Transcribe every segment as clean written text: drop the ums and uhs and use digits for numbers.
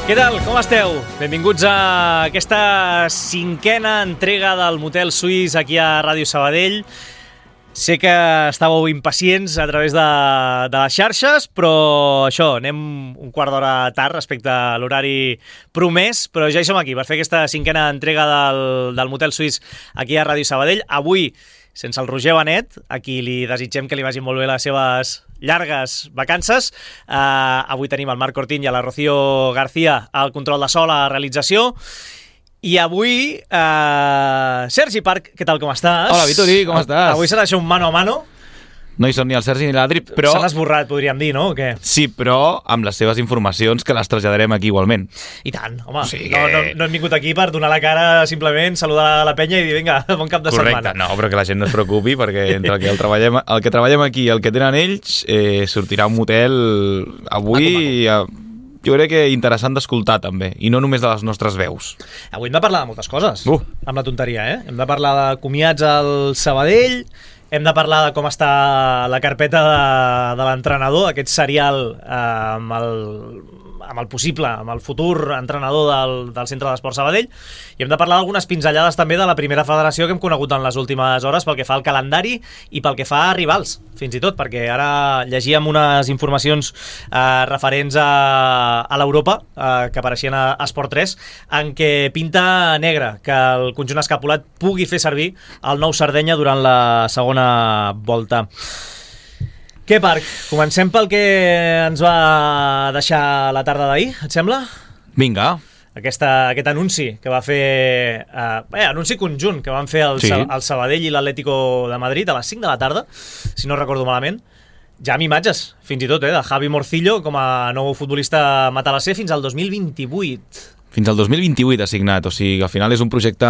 Què tal? Com esteu? Benvinguts a aquesta cinquena entrega del Motel Suís aquí a Ràdio Sabadell. Sé que estàveu impacients a través de les xarxes, però això, anem un quart d'hora tard respecte a l'horari promès, però ja hi som aquí per fer aquesta cinquena entrega del Motel Suís aquí a Ràdio Sabadell. Avui, sense el Roger Benet, a qui li desitgem que li vagin molt bé les seves llargues vacances. Avui tenim el Marc Cortín i la Rocío García al control de so, la realització. I avui, Sergi Parc, què tal, com estàs? Hola, Vitori, com estàs? Avui serà això un mano a mano. No hi són ni el Sergi ni l'Adri, però... Se l'ha esborrat, podríem dir, no? O què? Sí, però amb les seves informacions que les traslladarem aquí igualment. I tant, home. Sí que... no hem vingut aquí per donar la cara, simplement saludar la penya i dir, vinga, bon cap de setmana. Correcte, no, però que la gent no es preocupi, perquè entre el que treballem aquí i el que tenen ells, sortirà un motel avui... Jo crec que interessant d'escoltar, també, i no només de les nostres veus. Avui hem de parlar de moltes coses, amb la tonteria, eh? Hem de parlar de comiats al Sabadell, hem de parlar de com està la carpeta de l'entrenador, aquest serial amb el possible, amb el futur entrenador del Centre d'Esport Sabadell, i hem de parlar d'algunes pinzellades també de la primera federació que hem conegut en les últimes hores pel que fa al calendari i pel que fa a rivals, fins i tot, perquè ara llegíem unes informacions referents a l'Europa que apareixien a Esport 3, en què pinta negre que el conjunt escapulat pugui fer servir el Nou Sardenya durant la segona volta. Què, Parc? Comencem pel que ens va deixar la tarda d'ahir, et sembla? Vinga. Aquest anunci que va fer... anunci conjunt que van fer el Sabadell i l'Atlético de Madrid a les 5 de la tarda, si no recordo malament. Ja amb imatges, fins i tot, de Javi Morcillo com a nou futbolista matalasser fins al 2028. Fins al 2028 assignat, o sigui, al final és un projecte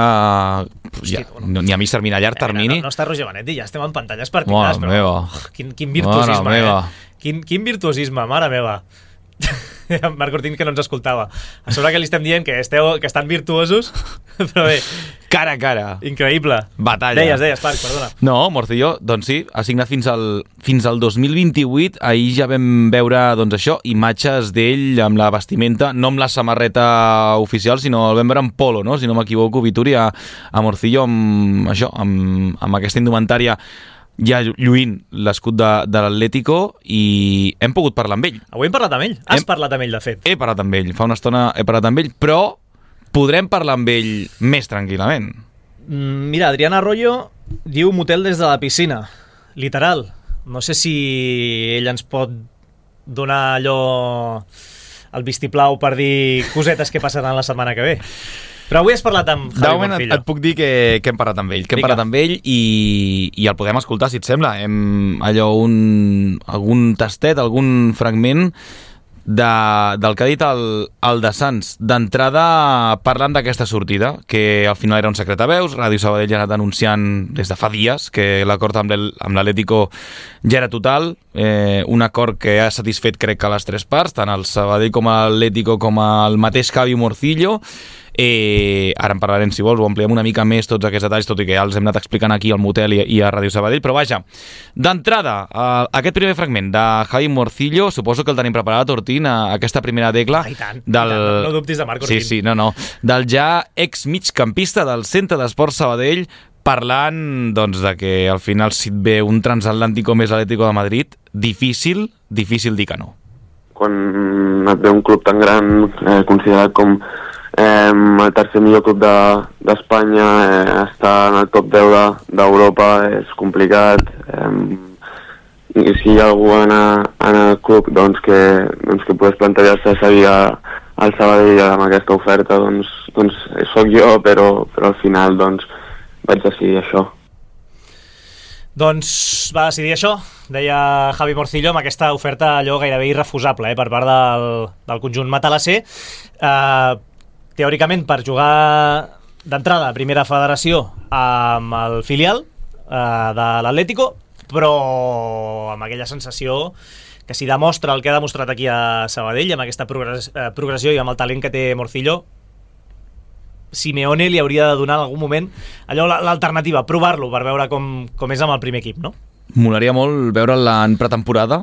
ni a mig termini, a llarg termini. No està Roger Benet i ja estem en pantalles particulars, però meva. Quin virtuosisme, Quin virtuosisme, mare meva. Marc Cortín, que no ens escoltava. A sobre que li estem dient que estan virtuosos, però bé. Cara a cara. Increïble. Batalla. Deies, Parc, perdona. No, Morcillo, doncs sí, ha signat fins al 2028. Ahir ja vam veure, doncs això, imatges d'ell amb la vestimenta, no amb la samarreta oficial, sinó el vam veure en polo, no? Si no m'equivoco, Vitori, a Morcillo amb aquesta indumentària ja lluint l'escut de l'Atlético, i hem pogut parlar amb ell. Avui hem parlat amb ell. Has parlat amb ell, de fet. He parlat amb ell, fa una estona he parlat amb ell, però podrem parlar amb ell més tranquil·lament. Mira, Adrián Arroyo diu motel des de la piscina. Literal. No sé si ell ens pot donar allò el vistiplau per dir cosetes que passaran la setmana que ve. Però avui has parlat amb Javi Morcillo. Et puc dir que hem parlat amb ell, i el podem escoltar, si et sembla. Algun tastet, algun fragment del que ha dit el de Sants. D'entrada, parlant d'aquesta sortida, que al final era un secret a veus. Ràdio Sabadell ja ha anat anunciant des de fa dies que l'acord amb l'Atlético ja era total, un acord que ha satisfet, crec, que les tres parts, tant el Sabadell com l'Atlético com el mateix Javi Morcillo. Ara en parlarem, si vols, ho ampliem una mica més tots aquests detalls, tot i que ja els hem anat explicant aquí al Motel i a Ràdio Sabadell, però vaja, d'entrada, aquest primer fragment de Javi Morcillo, suposo que el tenim preparat, Ortín, aquesta primera tecla. I tant, no dubtis de Marc Ortín. Sí, del ja ex-migcampista del Centre d'Esport Sabadell, parlant, doncs, de que al final, si et ve un transatlàntico més l'Atlético de Madrid, difícil dir que no. Quan et ve un club tan gran, considerat com el tercer millor club d'Espanya, estar en el top 10 d'Europa és complicat, i si hi ha algú en el club que pogués plantejar-se seguir al Sabadell amb aquesta oferta, doncs sóc jo, però al final vaig decidir això. Doncs va decidir això, deia Javi Morcillo, amb aquesta oferta allò gairebé irrefusable per part del conjunt matalasser. Teòricament, per jugar d'entrada a primera federació amb el filial de l'Atlético, però amb aquella sensació que si demostra el que ha demostrat aquí a Sabadell, amb aquesta progressió i amb el talent que té Morcillo, Simeone li hauria de donar en algun moment allò l'alternativa, provar-lo per veure com és amb el primer equip, no? Molaria molt veure'l en pretemporada,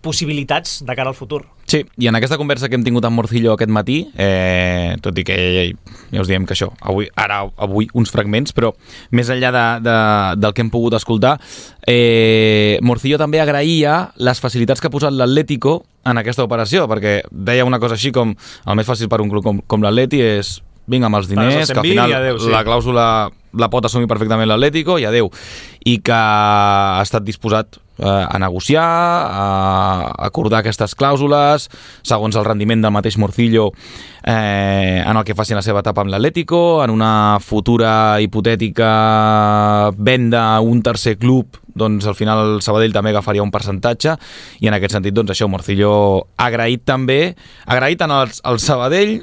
possibilitats de cara al futur. Sí, i en aquesta conversa que hem tingut amb Morcillo aquest matí, tot i que ja us diem que això, avui uns fragments, però més enllà del que hem pogut escoltar, Morcillo també agraïa les facilitats que ha posat l'Atlético en aquesta operació, perquè deia una cosa així com el més fàcil per un club com l'Atleti és vinga amb els diners, que al final la clàusula la pot assumir perfectament l'Atlético i adeu, i que ha estat disposat a negociar, a acordar aquestes clàusules segons el rendiment del mateix Morcillo en el que faci la seva etapa amb l'Atlético, en una futura hipotètica venda a un tercer club, doncs al final el Sabadell també agafaria un percentatge, i en aquest sentit doncs això, Morcillo ha agraït tant al Sabadell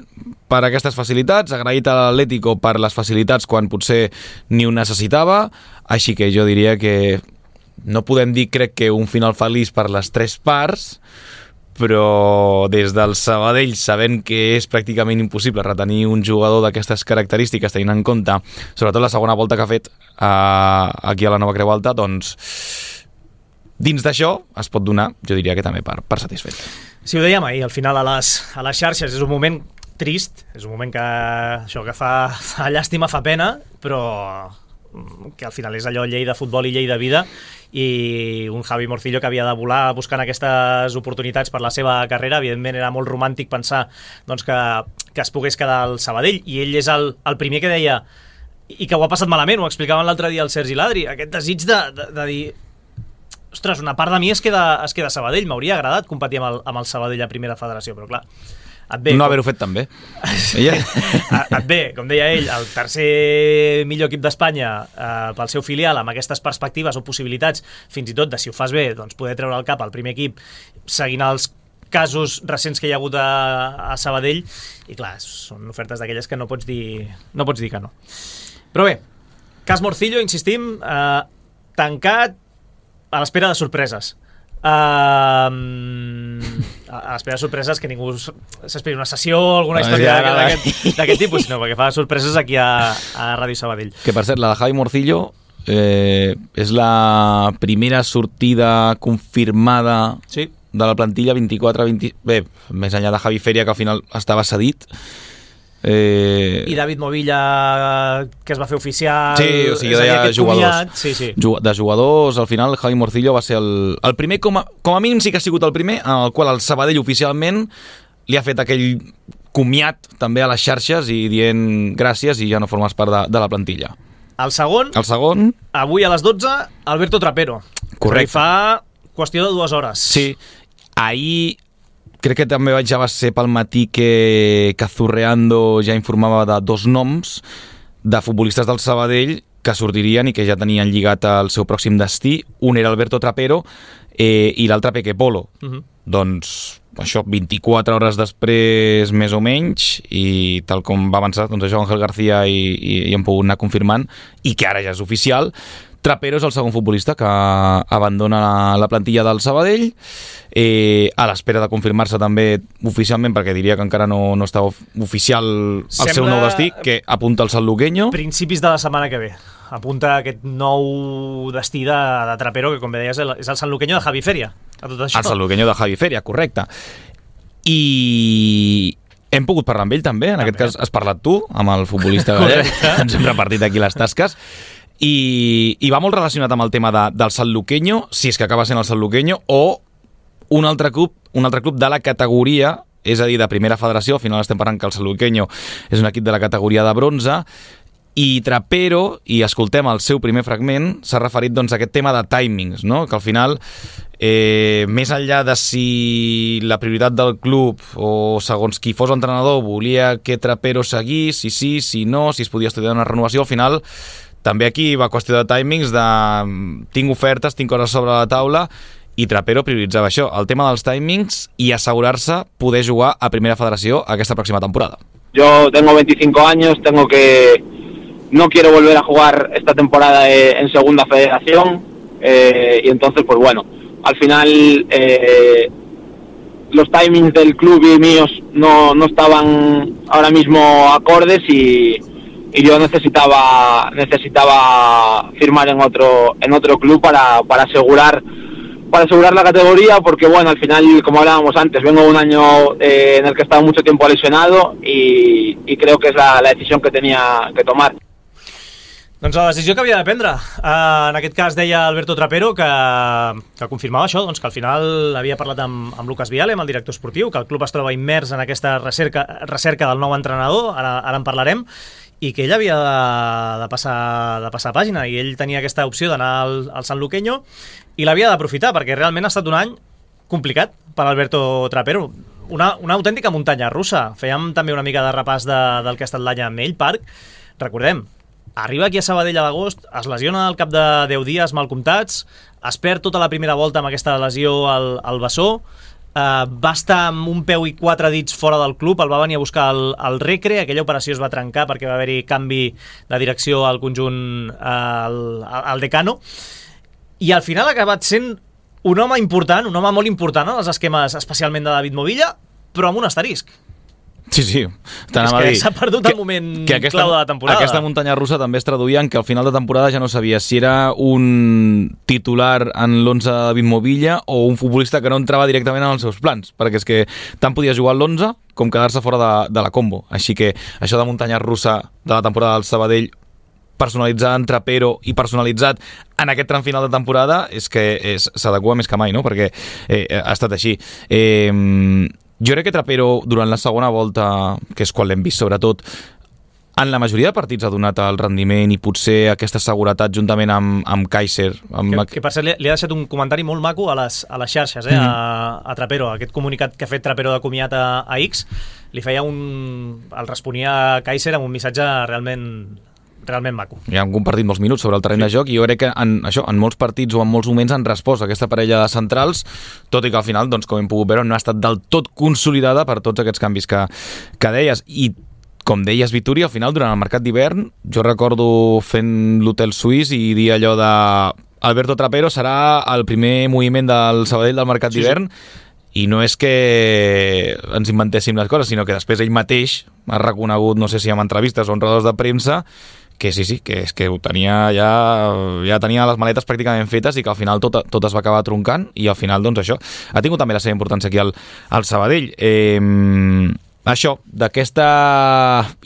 per aquestes facilitats, ha agraït a l'Atlético per les facilitats quan potser ni ho necessitava, així que jo diria que no podem dir, crec que un final feliç per les tres parts, però des del Sabadell, sabent que és pràcticament impossible retenir un jugador d'aquestes característiques, tenint en compte sobretot la segona volta que ha fet aquí a la Nova Creu Alta, doncs dins d'això es pot donar, jo diria que també per satisfet. Sí, ho dèiem ahir, al final a les xarxes és un moment trist, és un moment que fa llàstima, fa pena, però que al final és allò llei de futbol i llei de vida, i un Javi Morcillo que havia de volar buscant aquestes oportunitats per la seva carrera. Evidentment era molt romàntic pensar doncs, que es pogués quedar al Sabadell, i ell és el primer que deia, i que ho ha passat malament, ho explicaven l'altre dia el Sergi Ladri, aquest desig de dir ostres, una part de mi es queda a Sabadell, m'hauria agradat competir amb el Sabadell a primera federació, però clar, no haver-ho fet tan bé. Et ve, com deia ell, el tercer millor equip d'Espanya pel seu filial, amb aquestes perspectives o possibilitats, fins i tot de, si ho fas bé, doncs poder treure el cap al primer equip, seguint els casos recents que hi ha hagut a Sabadell, i clar, són ofertes d'aquelles que no pots dir que no. Però bé, cas Morcillo, insistim, tancat a l'espera de sorpreses. A l'espera de sorpreses, que ningú s'esperi una sessió o alguna història d'aquest tipus, sinó perquè fa sorpreses aquí a Ràdio Sabadell. Que per cert, la de Javi Morcillo és la primera sortida confirmada de la plantilla 24-20... Bé, més enllà de Javi Feria, que al final estava cedit. I David Movilla, que es va fer oficial. Sí, o sigui, deia jugadors. Sí. De jugadors, al final Javi Morcillo va ser el primer, com a mínim sí que ha sigut el primer, en el qual el Sabadell oficialment li ha fet aquell comiat també a les xarxes i dient gràcies i ja no formes part de la plantilla. El segon, avui a les 12, Alberto Trapero. Correcte. Fa qüestió de 2 hores. Sí, ahir crec que també ja va ser pel matí que Zurreando ja informava de 2 noms de futbolistes del Sabadell que sortirien i que ja tenien lligat el seu pròxim destí. Un era Alberto Trapero i l'altre Peque Polo. Doncs això, 24 hores després més o menys, i tal com va avançar, doncs això Ángel García i hem pogut anar confirmant, i que ara ja és oficial. Trapero és el segon futbolista que abandona la plantilla del Sabadell, a l'espera de confirmar-se també oficialment, perquè diria que encara no està oficial el seu nou destí, que apunta al Sanluqueño. Principis de la setmana que ve apunta aquest nou destí de Trapero, que com bé deies és el Sanluqueño de Javi Feria. El Sanluqueño de Javi Feria, correcte. I hem pogut parlar amb ell també, en aquest cas has parlat tu amb el futbolista gallec, ens hem repartit aquí les tasques. I va molt relacionat amb el tema del Sanluqueño, si és que acaba sent el Sanluqueño, o un altre club de la categoria, és a dir, de primera federació. Al final estem parlant que el Sanluqueño és un equip de la categoria de bronze, i Trapero, i escoltem el seu primer fragment, s'ha referit doncs, a aquest tema de timings, no? Que al final, més enllà de si la prioritat del club o segons qui fos entrenador volia que Trapero seguís, si sí, si no, si es podia estudiar una renovació, al final també aquí va qüestió de timings, de tinc ofertes, tinc coses sobre la taula, i Trapero prioritzava això, el tema dels timings, i assegurar-se poder jugar a Primera Federació aquesta pròxima temporada. Yo tengo 25 años, no quiero volver a jugar esta temporada en Segunda Federación, y entonces pues bueno, al final los timings del club y míos no estaban ahora mismo acordes, y yo necesitaba firmar en otro club para asegurar para asegurar la categoría, porque bueno, al final, como hablábamos antes, vengo de un año en el que he estado mucho tiempo lesionado y creo que es la decisión que tenía que tomar. Doncs la decisió que havia de prendre. En aquest cas deia Alberto Trapero que confirmava això, doncs que al final havia parlat amb Lucas Viale, amb el director esportiu, que el club es troba immers en aquesta recerca del nou entrenador, ara en parlarem, i que ell havia de passar pàgina, i ell tenia aquesta opció d'anar al Sanluqueño i l'havia d'aprofitar, perquè realment ha estat un any complicat per Alberto Trapero. Una autèntica muntanya russa. Fèiem també una mica de repàs del que ha estat l'any amb ell, Parc. Recordem, arriba aquí a Sabadell a l'agost, es lesiona al cap de 10 dies mal comptats, es perd tota la primera volta amb aquesta lesió al bessó, va estar amb un peu i 4 dits fora del club, el va venir a buscar el Recre, aquella operació es va trencar perquè va haver-hi canvi de direcció al conjunt al Decano, i al final ha acabat sent un home important, un home molt important en els esquemes, especialment de David Movilla, però amb un asterisc. Sí, és que s'ha perdut el moment clau de la temporada. Aquesta muntanya russa també es traduïa en que al final de temporada ja no sabia si era un titular en l'11 de David Movilla o un futbolista que no entrava directament en els seus plans, perquè és que tant podia jugar a l'11 com quedar-se fora de la combo. Així que això de muntanya russa de la temporada del Sabadell, personalitzat en Trapero i personalitzat en aquest tram final de temporada, és que s'adequa més que mai, no? Perquè ha estat així. Jo crec que Trapero, durant la segona volta, que és quan l'hem vist sobretot, en la majoria de partits ha donat el rendiment i potser aquesta seguretat juntament amb Kaiser. Que per cert, li ha deixat un comentari molt maco a les xarxes, a Trapero. Aquest comunicat que ha fet Trapero de comiat a X, li feia el responia Kaiser amb un missatge realment maco. Ja han compartit molts minuts sobre el terreny de joc i jo crec que en molts partits o en molts moments han respost a aquesta parella de centrals, tot i que al final, doncs, com hem pogut veure, no ha estat del tot consolidada per tots aquests canvis que deies. I com deies, Vituri, al final, durant el mercat d'hivern, jo recordo fent l'hotel suís i dir allò de Alberto Trapero serà el primer moviment del Sabadell del mercat d'hivern, i no és que ens inventéssim les coses, sinó que després ell mateix ha reconegut, no sé si amb entrevistes o en rodes de premsa, que sí, que és que ho tenia ja tenia les maletes pràcticament fetes i que al final tot es va acabar troncant i al final, doncs això, ha tingut també la seva importància aquí al Sabadell. Això, d'aquesta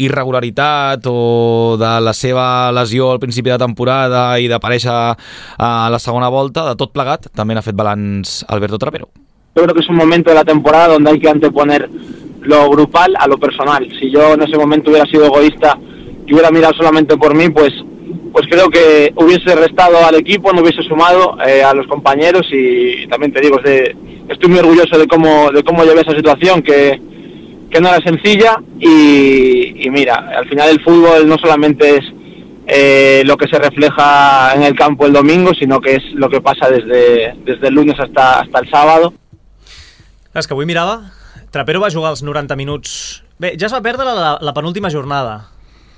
irregularitat o de la seva lesió al principi de temporada i d'aparèixer a la segona volta, de tot plegat, també n'ha fet balanç Alberto Trapero. Yo creo que es un momento de la temporada donde hay que anteponer lo grupal a lo personal. Si yo en ese momento hubiera sido egoísta y hubiera mirado solamente por mí, pues creo que hubiese restado al equipo, no hubiese sumado a los compañeros, y también te digo, estoy muy orgulloso de cómo llevé esa situación, que no era sencilla, y mira, al final el fútbol no solamente es lo que se refleja en el campo el domingo, sino que es lo que pasa desde el lunes hasta el sábado. És que avui mirava, Trapero va jugar els 90 minuts. Bé, ja es va perdre la penúltima jornada,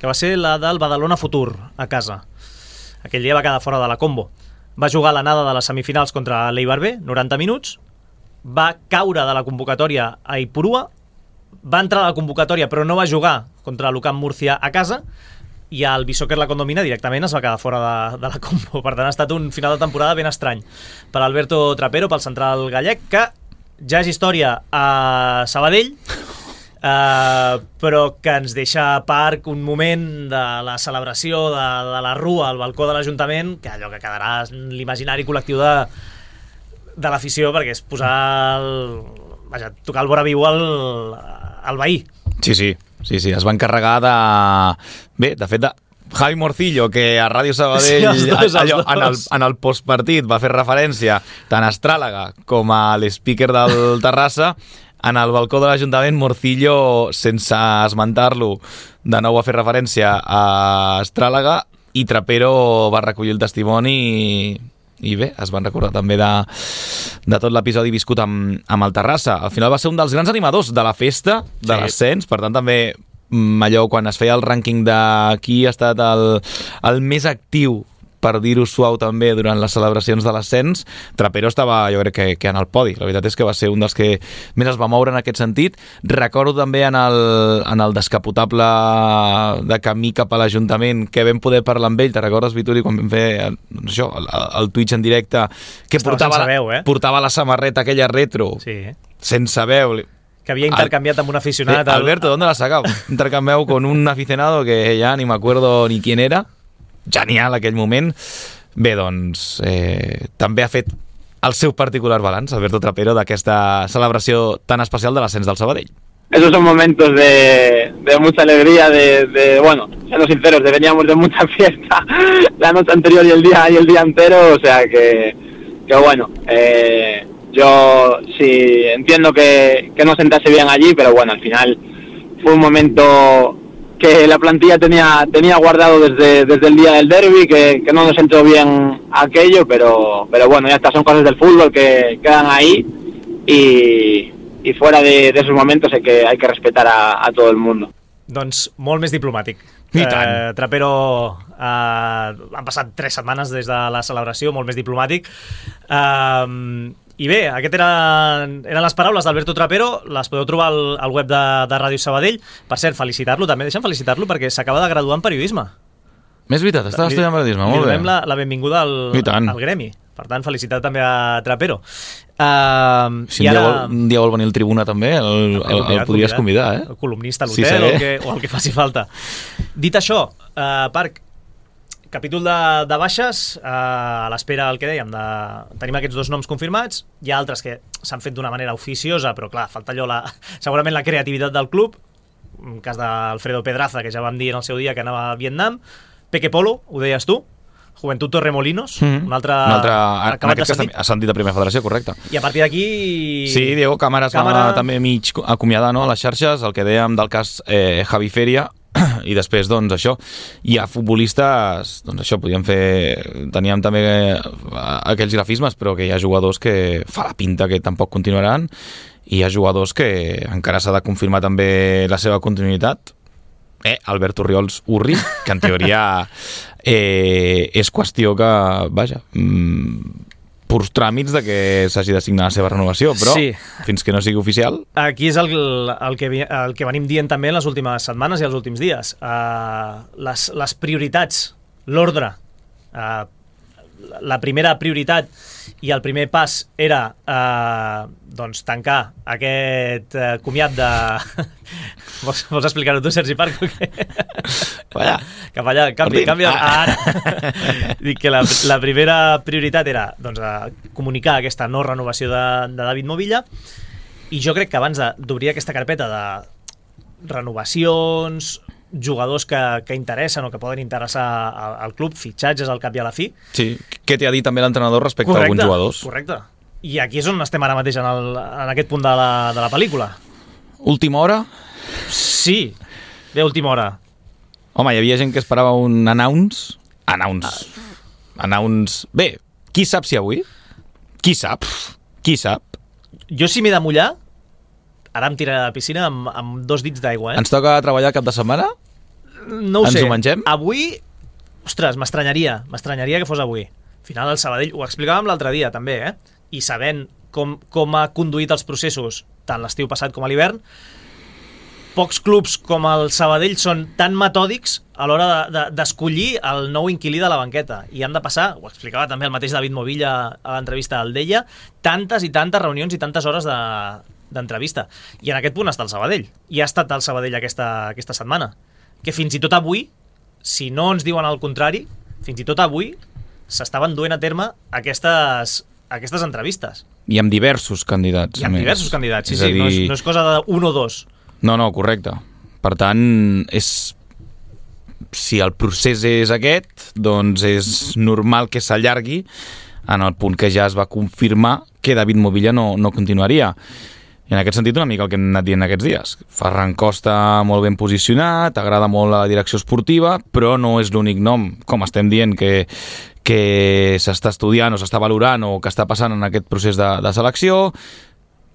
que va ser la del Badalona Futur, a casa. Aquell dia va quedar fora de la combo. Va jugar l'anada de les semifinals contra l'Eibar B, 90 minuts, va caure de la convocatòria a Ipurua, va entrar a la convocatòria però no va jugar contra l'UCAM Múrcia a casa, i el Bisóquer la Condomina directament es va quedar fora de la combo. Per tant, ha estat un final de temporada ben estrany per Alberto Trapero, pel central gallec, que ja és història a Sabadell, però que ens deixa a Parc un moment de la celebració de la rua al balcó de l'Ajuntament, que allò que quedarà en l'imaginari col·lectiu de l'afició, perquè és posar tocar el vora viu al veí. Sí, es va encarregar de fet, Javi Morcillo, que a Ràdio Sabadell en el postpartit va fer referència tant a Astràlaga com a l'speaker del Terrassa, en el balcó de l'Ajuntament Morcillo, sense esmentar-lo, de nou va fer referència a Astràlaga, i Trapero va recollir el testimoni i bé, es van recordar també de tot l'episodi viscut amb el Terrassa. Al final va ser un dels grans animadors de la festa, de l'ascens, per tant també allò quan es feia el rànquing de qui ha estat el més actiu per dir-ho suau també, durant les celebracions de l'ascens, Trapero estava, jo crec que en el podi. La veritat és que va ser un dels que més es va moure en aquest sentit. Recordo també en el descapotable de camí cap a l'Ajuntament, que vam poder parlar amb ell. Te recordes, Vituri, quan vam fer això, el Twitch en directe, que portava la samarreta aquella retro, sense veu, que havia intercanviat amb un aficionat. Alberto, ¿dónde la has sacado? Intercambiado con un aficionado que ya ni me acuerdo ni quién era. Genial aquell moment. Bé, doncs, també ha fet el seu particular balanç, Alberto Trapero, d'aquesta celebració tan especial de l'ascens del Sabadell. Esos son momentos de mucha alegría, bueno, siendo sinceros, veníamos de mucha fiesta la noche anterior y el día entero, o sea que bueno, yo sí entiendo que no sentase bien allí, pero bueno, al final fue un momento que la plantilla tenía guardado desde el día del derbi, que no nos entró bien aquello, pero bueno, ya está, son cosas del fútbol que quedan ahí y fuera de esos momentos hay que respetar a todo el mundo. Doncs molt més diplomàtic. Trapero han passat 3 setmanes des de la celebració, molt més diplomàtic. I bé, aquest eren les paraules d'Alberto Trapero, les podeu trobar al web de Ràdio Sabadell. Per cert, felicitar-lo també, deixa'm felicitar-lo perquè s'acaba de graduar en periodisme. Més veritat, estava estudiant periodisme, molt bé. Li donem la benvinguda al gremi. Per tant, felicitat també a Trapero. Si un dia vol venir al Tribuna també, el podries convidar, el columnista a l'hotel o el que faci falta. Dit això, Parc, capítol de baixes, a l'espera del que dèiem, tenim aquests 2 noms confirmats, hi ha altres que s'han fet d'una manera oficiosa, però clar, falta allò, segurament la creativitat del club, en cas d'Alfredo Pedraza, que ja vam dir en el seu dia que anava a Vietnam, Peque Polo, ho deies tu, Juventud Torremolinos, un altre acabat de sentit. Ascendit de Primera Federació, correcte. I a partir d'aquí... Sí, Diego Cámaras va també mig acomiadar, no, a les xarxes, el que dèiem del cas Javi Feria, i després, doncs, això. Hi ha futbolistes, doncs això, teníem també aquells grafismes, però que hi ha jugadors que fa la pinta que tampoc continuaran, i hi ha jugadors que encara s'ha de confirmar també la seva continuïtat. Albert Orriols Urri, que en teoria és qüestió que, vaja, purs tràmits de que s'hagi de signar la seva renovació, però fins que no sigui oficial... Aquí és el que venim dient també en les últimes setmanes i els últims dies. Les prioritats, l'ordre, la primera prioritat i el primer pas era doncs tancar aquest comiat de... Vols explicar-ho tu, Sergi Parc? Cap allà, canvia. Ara. Dic que la primera prioritat era doncs, comunicar aquesta no renovació de David Movilla, i jo crec que abans d'obrir aquesta carpeta de renovacions, jugadors que interessen o que poden interessar al club, fitxatges al cap i a la fi. Sí, què t'ha dit també l'entrenador respecte a alguns jugadors? Correcte. I aquí és on estem ara mateix en aquest punt de la pel·lícula. Última hora? Sí, bé, última hora. Home, hi havia gent que esperava un announce. Bé, qui sap si avui? Qui sap? Jo si m'he de mullar, ara em tiraré a la piscina amb 2 dits d'aigua. Ens toca treballar cap de setmana? No ho sé. Ens ho mengem? Avui, ostres, m'estranyaria que fos avui. Al final el Sabadell, ho explicàvem l'altre dia també, i sabent com ha conduït els processos tant l'estiu passat com a l'hivern, pocs clubs com el Sabadell són tan metòdics a l'hora d'escollir el nou inquilí de la banqueta, i han de passar, ho explicava també el mateix David Movilla a l'entrevista al Deia, tantes i tantes reunions i tantes hores d'entrevista, i en aquest punt està el Sabadell, i ha estat el Sabadell aquesta setmana, que fins i tot avui, si no ens diuen el contrari, fins i tot avui s'estaven duent a terme aquestes entrevistes. I amb diversos candidats. I amb diversos candidats, sí, no és cosa d'un o dos. No, correcte. Per tant, si el procés és aquest, doncs és normal que s'allargui en el punt que ja es va confirmar que David Movilla no continuaria. I en aquest sentit una mica el que hem anat dient aquests dies. Ferran Costa molt ben posicionat, agrada molt la direcció esportiva, però no és l'únic nom, com estem dient, que s'està estudiant o s'està valorant o que està passant en aquest procés de selecció.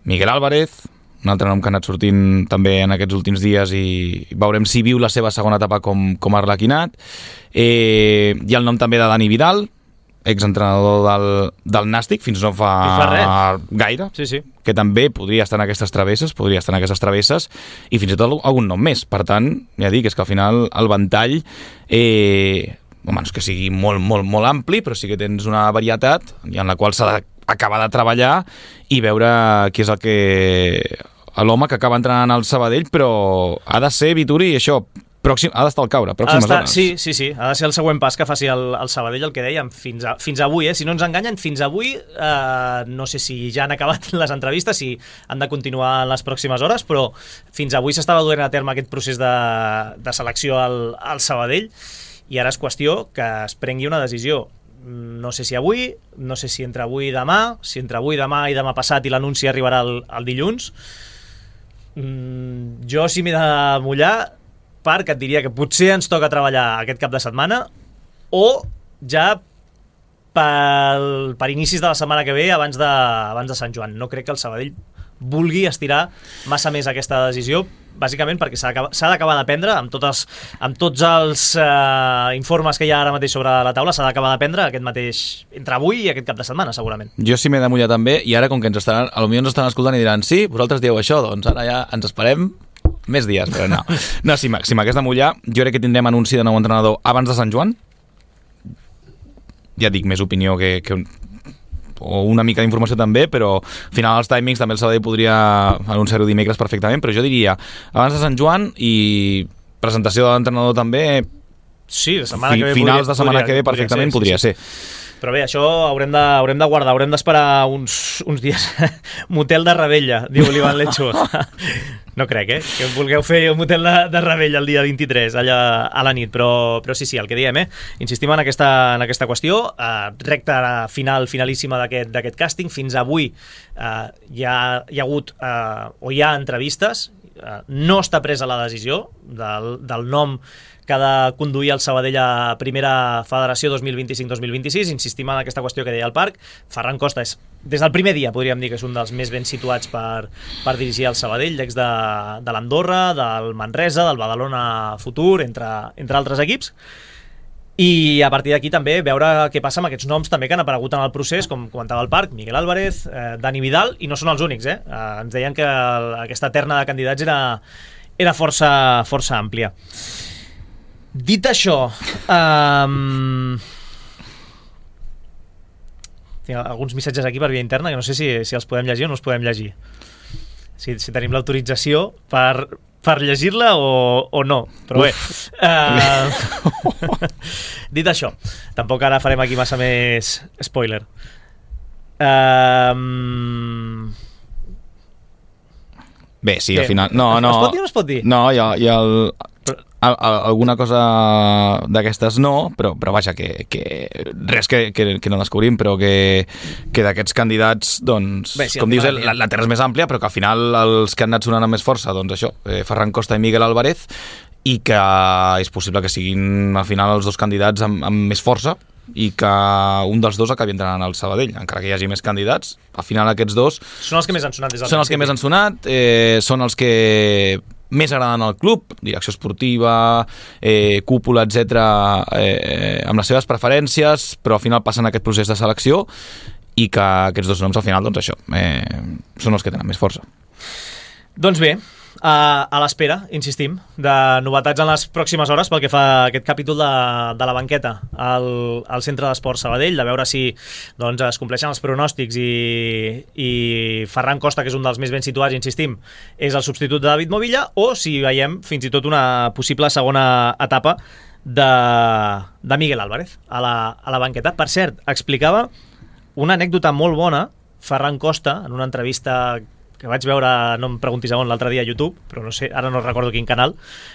Miguel Álvarez, un altre nom que ha anat sortint també en aquests últims dies i veurem si viu la seva segona etapa com Arlequinat. Hi ha el nom també de Dani Vidal, exentrenador del Nàstic, fins no fa gaire, sí. que també podria estar en aquestes travesses, i fins i tot algun nom més. Per tant, ja dic, és que al final el ventall no és que sigui molt, molt, molt ampli, però sí que tens una varietat en la qual s'ha d'acabar de treballar i veure qui és l'home que acaba entrenant al Sabadell, però ha de ser, Vituri, això, pròxim, ha d'estar al caure, pròximes zones. Sí, ha de ser el següent pas que faci el Sabadell, el que dèiem, fins avui, si no ens enganyen, fins avui, no sé si ja han acabat les entrevistes, si han de continuar en les pròximes hores, però fins avui s'estava duent a terme aquest procés de selecció al Sabadell, i ara és qüestió que es prengui una decisió. No sé si avui, no sé si entre avui i demà, si entre avui, demà i demà passat i l'anunci arribarà el dilluns. Jo, si m'he de mullar, Parc, et diria que potser ens toca treballar aquest cap de setmana o ja per inicis de la setmana que ve abans de Sant Joan. No crec que el Sabadell vulgui estirar massa més aquesta decisió, bàsicament perquè s'ha d'acabar de prendre amb tots els informes que hi ha ara mateix sobre la taula, s'ha d'acabar de prendre aquest mateix, entre avui i aquest cap de setmana, segurament. Jo sí m'he de mullar també, i ara com que potser ens estan escoltant i diran sí, vosaltres dieu això, doncs ara ja ens esperem més dies, però no. No, si m'hagués de mullar, jo crec que tindrem anunci de nou entrenador abans de Sant Joan. Ja dic, més opinió que o una mica d'informació també, però al final els timings també el Sabadell podria anunciar-ho dimecres perfectament, però jo diria abans de Sant Joan i presentació de l'entrenador també sí, la setmana que ve finals de setmana que ve perfectament podria ser. Però bé, això haurem de guardar, haurem d'esperar uns dies. Motel de Ravella, diu l'Ivan Lecho. No crec, que vulgueu fer un motel de Ravella el dia 23, allà a la nit, però sí, el que diem, insistim en aquesta qüestió, recta finalíssima d'aquest càsting. Fins avui hi ha hagut o hi ha entrevistes, no està presa la decisió del nom que ha de conduir el Sabadell a Primera Federació 2025-2026. Insistim en aquesta qüestió que deia el Parc. Ferran Costa és, des del primer dia, podríem dir que és un dels més ben situats per dirigir el Sabadell, l'ex de l'Andorra, del Manresa, del Badalona Futur, entre altres equips. I a partir d'aquí també veure què passa amb aquests noms també que han aparegut en el procés, com comentava el Parc, Miguel Álvarez, Dani Vidal, i no són els únics. Ens deien que aquesta terna de candidats era força àmplia. Dit això, tinc alguns missatges aquí per via interna que no sé si els podem llegir o no els podem llegir. Si tenim l'autorització per llegir-la o no, però bé. Dit això, tampoc ara farem aquí massa més spoiler. Bé, sí, al final... No. Es pot dir o no es pot dir? No, hi ha alguna cosa d'aquestes no, però vaja, que res que no descobrim, però que d'aquests candidats, doncs, bé, sí, com dius, la terra és més àmplia, però que al final els que han anat sonant amb més força, doncs això, Ferran Costa i Miguel Álvarez, i que és possible que siguin al final els dos candidats amb més força, i que un dels dos acabi entrenant al Sabadell, encara que hi hagi més candidats. Al final aquests dos són els que més han sonat. Són els que més han sonat, són els que més agraden al club, direcció esportiva, cúpula, etc., amb les seves preferències, però al final passen aquest procés de selecció i que aquests dos noms al final, doncs això, són els que tenen més força. Doncs bé, a l'espera, insistim, de novetats en les pròximes hores pel que fa a aquest capítol de la banqueta al Centre d'Esports Sabadell, de veure si doncs, es compleixen els pronòstics i Ferran Costa, que és un dels més ben situats, insistim, és el substitut de David Movilla, o si veiem fins i tot una possible segona etapa de Miguel Álvarez a la banqueta. Per cert, explicava una anècdota molt bona Ferran Costa en una entrevista que vaig veure, no em preguntis on, l'altre dia a YouTube, però no sé, ara no recordo quin canal,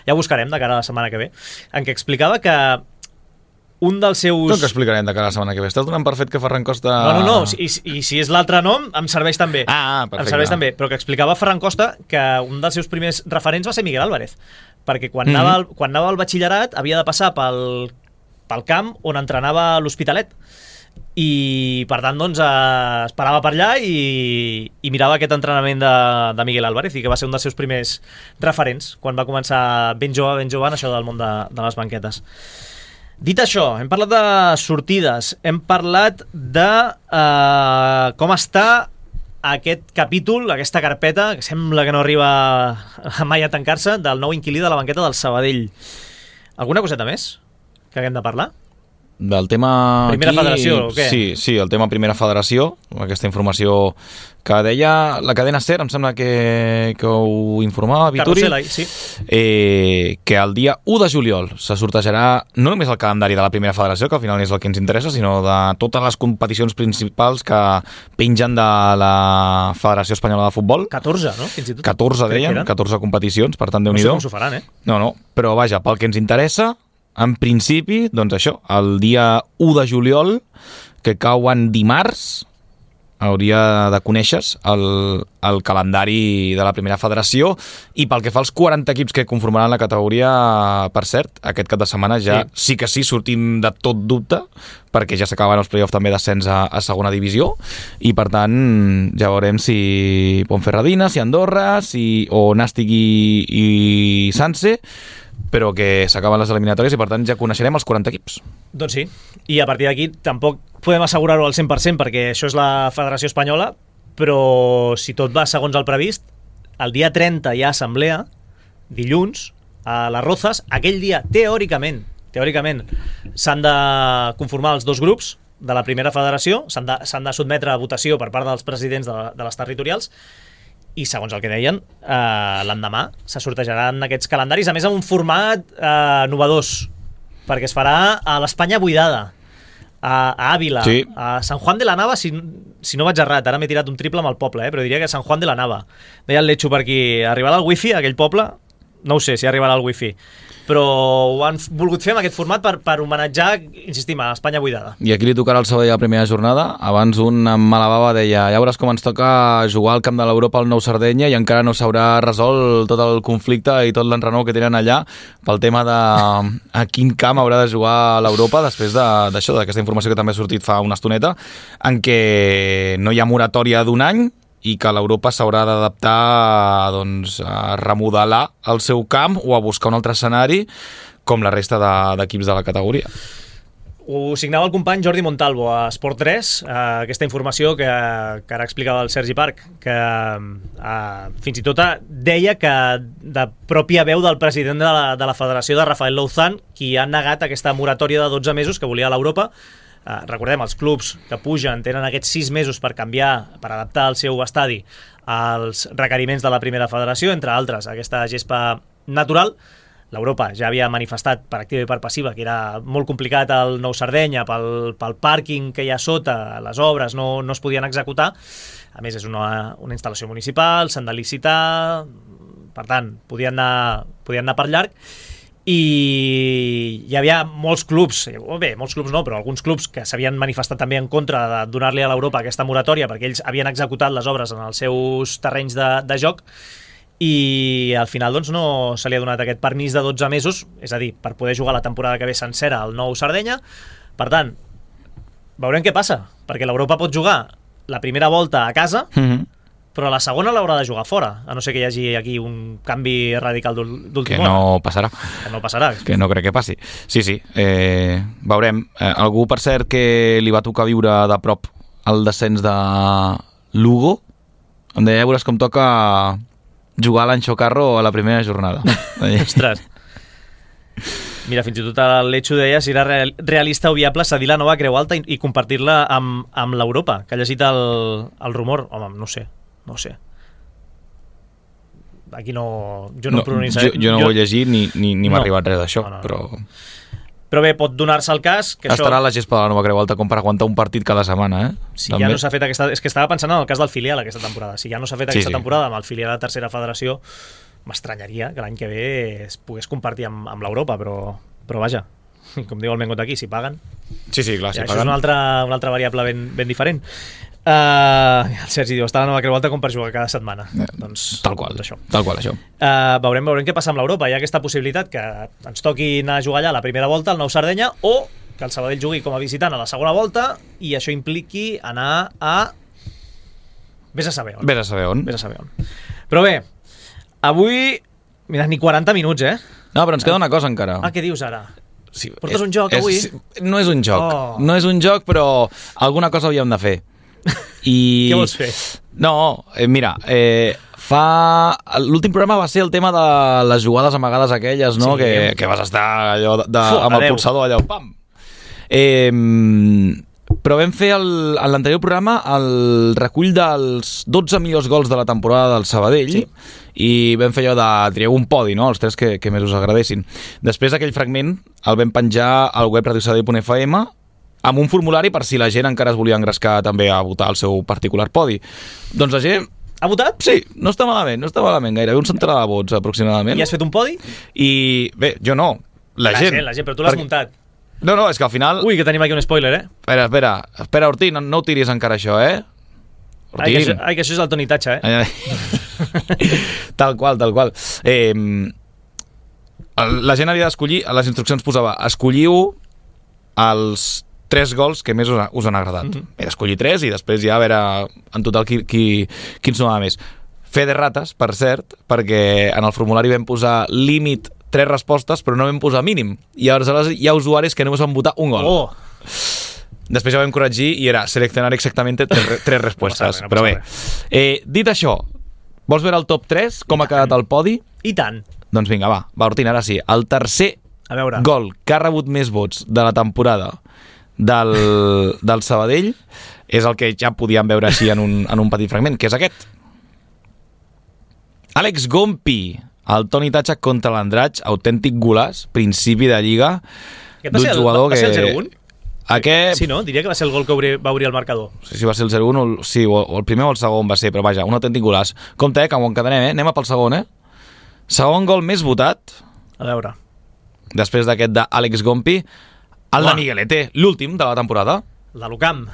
ja ho buscarem de cara a la setmana que ve, en què explicava que un dels seus... Com que explicarem de cara a la setmana que ve? Estàs donant per fet que Ferran Costa... No, i si és l'altre nom, em serveix també. Perfecte. Em serveix també, però que explicava Ferran Costa que un dels seus primers referents va ser Miguel Álvarez, perquè quan anava al batxillerat havia de passar pel camp on entrenava l'Hospitalet, i per tant doncs es parava per allà i mirava aquest entrenament de Miguel Álvarez, i que va ser un dels seus primers referents quan va començar ben jove en això del món de les banquetes. Dit això, hem parlat de sortides, hem parlat de com està aquest capítol, aquesta carpeta, que sembla que no arriba mai a tancar-se, del nou inquilí de la banqueta del Sabadell. Alguna coseta més que haguem de parlar? Del tema Primera aquí, Federació, o què? Sí, el tema Primera Federació, aquesta informació que deia la cadena SER, em sembla que ho informava Vituri, Sí. Que el dia 1 de juliol se sortejarà no només el calendari de la Primera Federació, que al final és el que ens interessa, sinó de totes les competicions principals que pengen de la Federació Espanyola de Futbol. 14, no? Fins i tot. 14, deien, 14 competicions, per tant, No sé Déu-n'hi-do. com s'ho faran, No, però vaja, pel que ens interessa, en principi, doncs això, el dia 1 de juliol, que cau en dimarts, hauria de conèixer el calendari de la Primera Federació, i pel que fa als 40 equips que conformaran la categoria, per cert, aquest cap de setmana ja sí que sí sortim de tot dubte, perquè ja s'acaben els play-offs també d'ascens a segona divisió, i per tant ja veurem si Ponferradina, si Andorra, o Nàstic i Sanse, però que s'acaben les eliminatòries i per tant ja coneixerem els 40 equips. Doncs sí, i a partir d'aquí tampoc podem assegurar-ho al 100% perquè això és la Federació Espanyola, però si tot va segons el previst, el dia 30 hi ha assemblea, dilluns, a les Rozas. Aquell dia, teòricament, s'han de conformar els dos grups de la Primera Federació, s'han de sotmetre a votació per part dels presidents de les territorials, i segons el que deien, l'endemà se sortejaran aquests calendaris, a més amb un format novedós, perquè es farà a l'Espanya buidada, a Àvila, sí. A Sant Juan de la Nava, si no vaig errat, ara m'he tirat un triple amb el poble, però diria que Sant Juan de la Nava. Deia el Letxo per aquí, arribarà el wifi a aquell poble? No ho sé si arribarà el wifi, però ho han volgut fer amb aquest format per homenatjar, insistim, a Espanya buidada. I aquí li tocarà el Sabadell la primera jornada. Abans un amb mala bava deia: ja veuràs com ens toca jugar al camp de l'Europa al Nou Sardenya, i encara no s'haurà resolt tot el conflicte i tot l'enrenou que tenen allà pel tema de a quin camp haurà de jugar a l'Europa, després d'això, d'aquesta informació que també ha sortit fa una estoneta, en què no hi ha moratòria d'un any i que l'Europa s'haurà d'adaptar doncs, a remodelar el seu camp o a buscar un altre escenari com la resta d'equips de la categoria. Ho signava el company Jordi Montalvo a Esport 3, aquesta informació que ara explicava el Sergi Parc, que fins i tot deia que de pròpia veu del president de la federació, de Rafael Louzán, qui ha negat aquesta moratòria de 12 mesos que volia l'Europa. Recordem, els clubs que pugen tenen aquests 6 mesos per canviar, per adaptar el seu estadi als requeriments de la Primera Federació, entre altres aquesta gespa natural. L'Europa ja havia manifestat per activa i per passiva que era molt complicat el Nou Sardenya pel pàrquing que hi ha sota, les obres no es podien executar. A més, és una instal·lació municipal, s'han de licitar, per tant, podien anar per llarg. I hi havia molts clubs, molts clubs no, però alguns clubs que s'havien manifestat també en contra de donar-li a l'Europa aquesta moratòria perquè ells havien executat les obres en els seus terrenys de joc, i al final doncs, no se li ha donat aquest permís de 12 mesos, és a dir, per poder jugar la temporada que ve sencera al Nou Sardenya. Per tant, veurem què passa, perquè l'Europa pot jugar la primera volta a casa, però la segona l'haurà de jugar fora, a no ser que hi hagi aquí un canvi radical d'últim hora. No passarà. Que no passarà. Que no crec que passi. Sí, veurem. Algú, per cert, que li va tocar viure de prop el descens de Lugo, em deia, veuràs com toca jugar l'Anxo Carro a la primera jornada. Ostres. Mira, fins i tot el Letxo deia si era realista o viable cedir la nova Creu Alta i compartir-la amb l'Europa, que ha llegit el rumor. Home, no sé. Aquí jo no pronunciaré. Jo no ho he llegit ni m'ha arribat res d'això, però bé, pot donar-se el cas que estarà a la gespa de la nova Creu Alta com per aguantar un partit cada setmana, Si ja no s'ha fet aquesta... És que estava pensant en el cas del filial aquesta temporada. Si ja no s'ha fet aquesta temporada amb el filial de tercera federació, m'estranyaria que l'any que ve es pogués compartir amb l'Europa, però vaja, com diu el Mengot aquí, si paguen... Sí, clar, si paguen. Això és una altra variable ben diferent. El Sergi diu, està la nova Creu Alta com per jugar cada setmana. Doncs, tal qual això. Veurem què passa amb l'Europa. Hi ha aquesta possibilitat que ens toqui anar a jugar allà la primera volta al Nou Sardenya, o que el Sabadell jugui com a visitant a la segona volta i això impliqui anar a... Vés a saber on. Vés a saber on. Vés a saber on. Però bé, avui... Mira, ni 40 minuts, No, però ens queda una cosa encara. Què dius ara? Sí, Portes un joc avui? No és un joc. No és un joc, però alguna cosa havíem de fer. I... Què vols fer? No, mira, l'últim programa va ser el tema de les jugades amagades aquelles, no? Sí. Que vas estar allò amb el pulsador allò, pam! Però vam fer en l'anterior programa el recull dels 12 millors gols de la temporada del Sabadell, i vam fer allò de trieu un podi, no? Els 3 que més us agradessin. Després aquell fragment el vam penjar al web radiosabadell.fm amb un formulari per si la gent encara es volia engrescar també a votar el seu particular podi. Doncs la gent... Ha votat? Sí, no està malament gairebé un centenar de vots aproximadament. I has fet un podi? I bé, jo no, la gent, però tu l'has muntat. No, és que al final... Ui, que tenim aquí un spoiler, Espera, Ortín, no ho tiris encara això, Ortín. Ai, que això és el Toni Tatxa, Tal qual. La gent havia d'escollir, a les instruccions posava, escolliu els 3 gols que més us han agradat. He d'escollir 3 i després ja a veure en total qui ens donava més. Fe de rates, per cert, perquè en el formulari vam posar límit 3 respostes, però no vam posar mínim. I aleshores hi ha usuaris que només van votar un gol. Després ja vam corregir i era seleccionar exactament 3 respostes. No passa res. Però bé, dit això, vols veure el top 3, com ha quedat el podi? I tant. Doncs vinga, va, Ortín, ara sí. El tercer gol que ha rebut més vots de la temporada del Sabadell és el que ja podíem veure així en un petit fragment, que és aquest. Àlex Gompi, el Toni Tatxa contra l'Andratx, autèntic golaç, principi de lliga d'un jugador que... Va ser el 0-1? Aquest... Sí, no? Diria que va ser el gol que va obrir el marcador. No sé si va ser el 0-1, sí, o el primer o el segon va ser, però vaja, un autèntic golaç. Compte, que ho encadenem, anem a pel segon, Segon gol més votat. A veure. Després d'aquest d'Àlex Gompi, el de Miguelete, l'últim de la temporada. El de l'Ucamp.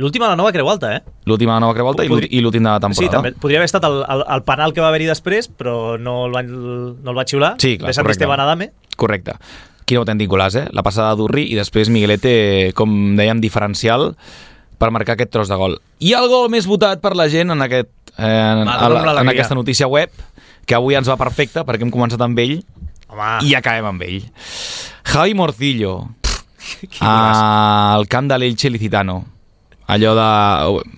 L'últim a la nova Creu Alta, L'últim a la nova Creu Alta i l'últim de la temporada. Sí, també. Podria haver estat el penal que va haver-hi després, però no el va xiular. Sí, clar, de Sant Esteban Adame. Correcte. Quin autèntic golaç, La passada d'Urri i després Miguelete, com dèiem, diferencial per marcar aquest tros de gol. I el gol més votat per la gent en aquesta notícia web, que avui ens va perfecte perquè hem començat amb ell. Home. I acabem amb ell. Javi Morcillo, al camp de l'Elche Licitano. Allò de...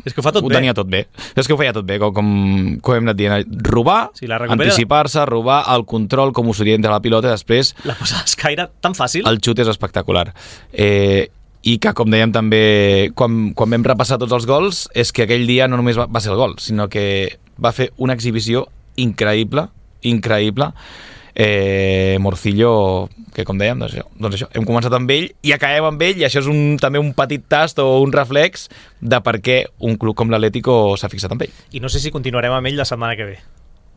És que ho fa tot bé. Ho tenia tot bé. És que ho feia tot bé, com hem anat dient. Robar, anticipar-se, robar, el control, com ho s'orienta la pilota, i després... La posada d'escaire tan fàcil. El xut és espectacular. I que, com dèiem també, quan vam repassar tots els gols, és que aquell dia no només va ser el gol, sinó que va fer una exhibició increïble. Morcillo, que com dèiem, doncs això, hem començat amb ell i acabem amb ell, i això és també un petit tast o un reflex de per què un club com l'Atlético s'ha fixat amb ell. I no sé si continuarem amb ell la setmana que ve.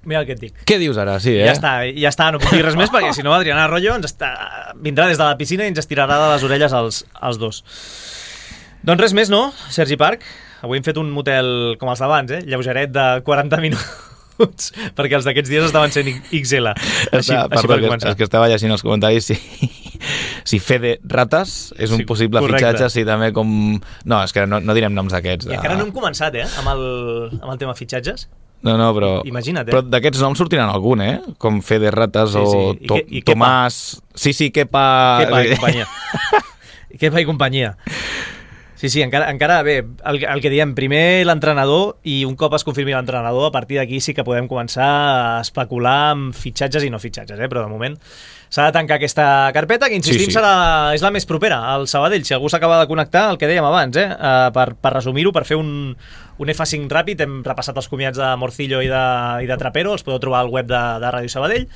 Mira el que et dic. Què dius ara? Sí, Ja està, no puc dir res més, perquè si no Adriana Arroyo vindrà des de la piscina i ens estirarà de les orelles als dos. Doncs res més, no, Sergi Parc? Avui hem fet un motel com els d'abans, lleugeret de 40 minuts. Perquè els d'aquests dies estaven sent XL. Així per començar. És que estava llegint els comentaris si Fede Ratas és un possible fitxatge, sí, també com... No, és que no direm noms d'aquests. I encara no hem començat, amb el tema fitxatges. No, però... Imagina't, Però d'aquests noms sortiran algun, com Fede Ratas o Tomàs... Sí, Kepa... Kepa i companyia. Kepa i companyia. Sí, encara bé, el que diem, primer l'entrenador, i un cop es confirmi l'entrenador, a partir d'aquí sí que podem començar a especular amb fitxatges i no fitxatges, però de moment s'ha de tancar aquesta carpeta, que insistim és la més propera al Sabadell. Si algú s'acaba de connectar, el que dèiem abans, per resumir-ho, per fer un F5 ràpid, hem repassat els comiats de Morcillo i de Trapero, els podeu trobar al web de Ràdio Sabadell.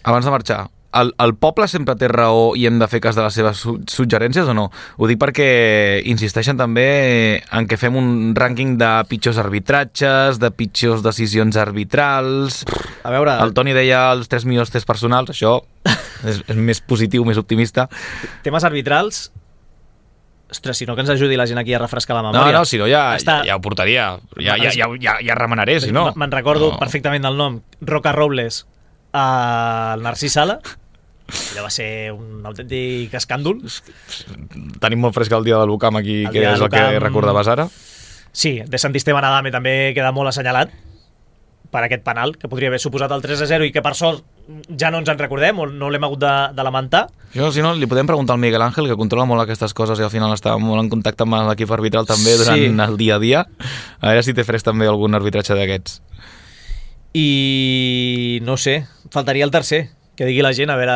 Abans de marxar, el poble sempre té raó i hem de fer cas de les seves suggerències o no? Ho dic perquè insisteixen també en que fem un rànquing de pitjors arbitratges, de pitjors decisions arbitrals... A veure... El Toni deia els 3 millors tests personals, això és més positiu, més optimista. Temes arbitrals... Ostres, si no que ens ajudi la gent aquí a refrescar la memòria. No, si no ja ho portaria. Ja remenaré, si no. Me'n recordo perfectament del nom. Roca Robles, el Narcís Sala, Allò va ser un autèntic escàndol. Tenim molt fresc el dia del Lucam aquí, que és el que recordaves ara. Sí, de Santisteban Adame també queda molt assenyalat per aquest penal, que podria haver suposat el 3-0 i que per sort ja no ens en recordem o no l'hem hagut de lamentar. Jo, si no, li podem preguntar al Miguel Ángel, que controla molt aquestes coses i al final està molt en contacte amb l'equip arbitral també durant el dia a dia. A veure si té fresc també algun arbitratge d'aquests. I no sé, faltaria el tercer, que digui la gent a veure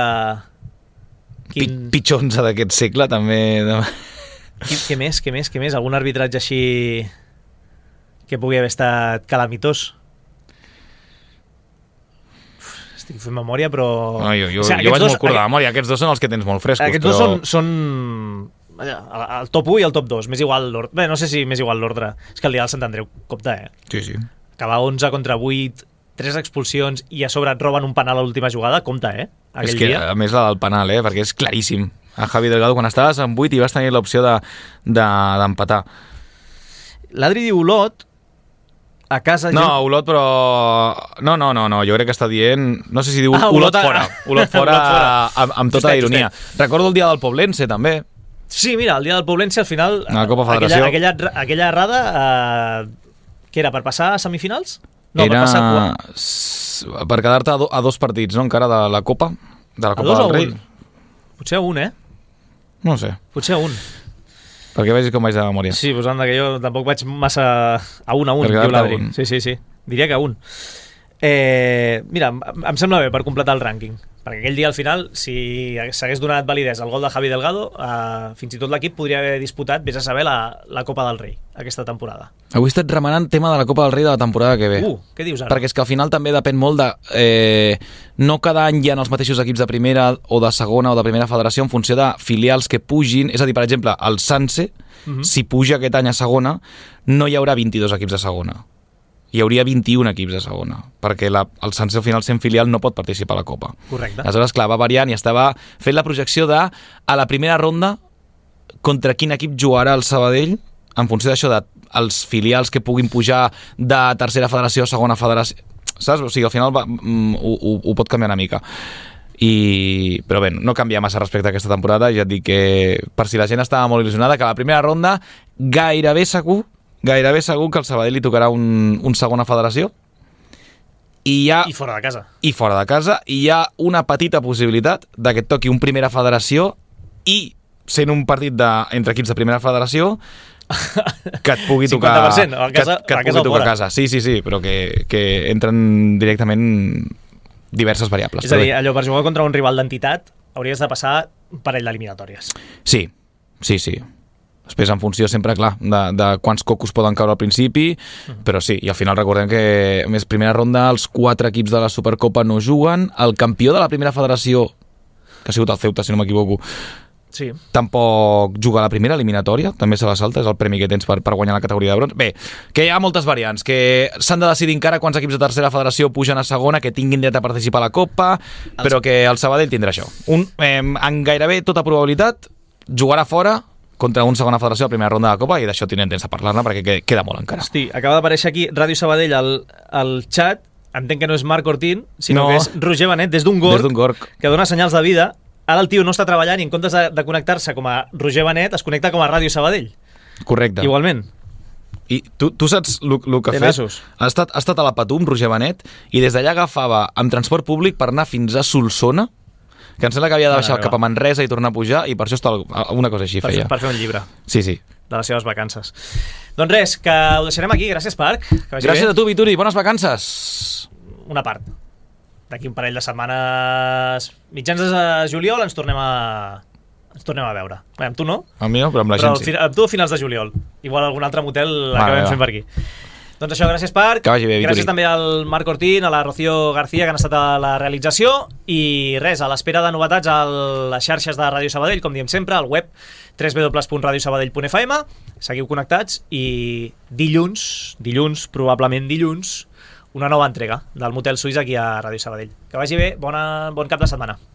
Pitjor 11 d'aquest segle també. Què més? Algun arbitratge així que pugui haver estat calamitós? Estic fent memòria, però... No, jo vaig molt curt de memòria. Aquests dos són els que tens molt frescos. Aquests dos són el top 1 i el top 2. Més igual l'ordre. Bé, no sé si més igual l'ordre. És que el dia del Sant Andreu compta, Sí. Acabar 11 contra 8, 3 expulsions i a sobre et roben un penal a l'última jugada, compta, És que, a més, la del penal, perquè és claríssim. A Javi Delgado, quan estaves en 8 i vas tenir l'opció d'empatar. L'Adri diu Olot, a casa... No, Olot, però... No, jo crec que està dient... No sé si diu Olot fora. Olot fora amb tota la ironia. Recordo el dia del Poblense, també. Sí, mira, el dia del Poblense, al final... A la Copa Federació. Aquella errada, què era, per passar a semifinals? No, era... per passar per quedar-te a 2 partits, no?, encara de la Copa, del Rei. Potser a 1, No sé. Potser a 1. Perquè vegis com vaig de memòria. Sí, doncs anda, que jo tampoc vaig massa a 1, diu l'Adri. Sí. Diria que a 1. Mira, em sembla bé per completar el rànquing, perquè aquell dia al final, si s'hagués donat validesa al gol de Javi Delgado, fins i tot l'equip podria haver disputat, vés a saber, la Copa del Rei aquesta temporada. Avui he estat remenant tema de la Copa del Rei de la temporada que ve. Què dius ara? Perquè és que al final també depèn molt de... no cada any hi ha els mateixos equips de primera o de segona o de primera federació en funció de filials que pugin. És a dir, per exemple, el Sanse, si puja aquest any a segona, no hi haurà 22 equips de segona. Hi hauria 21 equips de segona, perquè el Sanse al final sent filial no pot participar a la Copa. Correcte. Aleshores, clar, va variant i estava fent la projecció de, a la primera ronda, contra quin equip jugarà el Sabadell, en funció d'això, dels filials que puguin pujar de tercera federació a segona federació. Saps? O sigui, al final ho pot canviar una mica. Però bé, no canvia massa respecte a aquesta temporada. Ja et dic que, per si la gent estava molt il·lusionada, que a la primera ronda gairebé segur que al Sabadell li tocarà un segona federació i fora de casa. I hi ha una petita possibilitat de que et toqui un primera federació i, sent un partit entre equips de primera federació, que et pugui tocar 50%, a casa. Sí, però que entren directament diverses variables. És a dir, allò, per jugar contra un rival d'entitat hauries de passar un parell d'eliminatòries. Sí. Després, en funció, sempre, clar, de quants cocos poden caure al principi, però sí, i al final recordem que, a més, primera ronda, els 4 equips de la Supercopa no juguen, el campió de la primera federació, que ha sigut el Ceuta, si no m'equivoco, tampoc juga a la primera eliminatòria, també se la salta, és el premi que tens per guanyar la categoria de bronze. Bé, que hi ha moltes variants, que s'han de decidir encara quants equips de tercera federació pugen a segona, que tinguin dret a participar a la Copa, però que el Sabadell tindrà això. En gairebé tota probabilitat, jugarà fora contra una segona federació a la primera ronda de la Copa, i d'això tindrem temps de parlar-ne perquè queda molt encara. Hosti, acaba d'aparèixer aquí Ràdio Sabadell al xat, entenc que no és Marc Ortín, sinó que és Roger Benet, des d'un gorg, que dona senyals de vida. Ara el tio no està treballant i en comptes de connectar-se com a Roger Benet, es connecta com a Ràdio Sabadell. Correcte. Igualment. I tu saps el que ha fet? Ha estat a la Patum, Roger Benet, i des d'allà agafava amb transport públic per anar fins a Solsona, que em sembla que havia de baixar cap a Manresa i tornar a pujar, i per això està una cosa així feia. Per fer un llibre. Sí. De les seves vacances. Doncs res, que ho deixarem aquí. Gràcies, Parc. Gràcies a tu, Vituri. Bones vacances. Una part. D'aquí un parell de setmanes, mitjans de juliol, ens tornem a veure. Bé, amb tu no? Amb mi no, però amb la gent sí. Amb tu a finals de juliol. Igual algun altre motel l'acabem fent per aquí. Doncs això, gràcies, Parc. Que vagi bé, Vituri. Gràcies també al Marc Ortín, a la Rocío García, que han estat a la realització, i res, a l'espera de novetats a les xarxes de Ràdio Sabadell, com diem sempre, al web www.radiosabadell.fm. Seguiu connectats i dilluns, probablement dilluns, una nova entrega del Motel Suís aquí a Ràdio Sabadell. Que vagi bé, bon cap de setmana.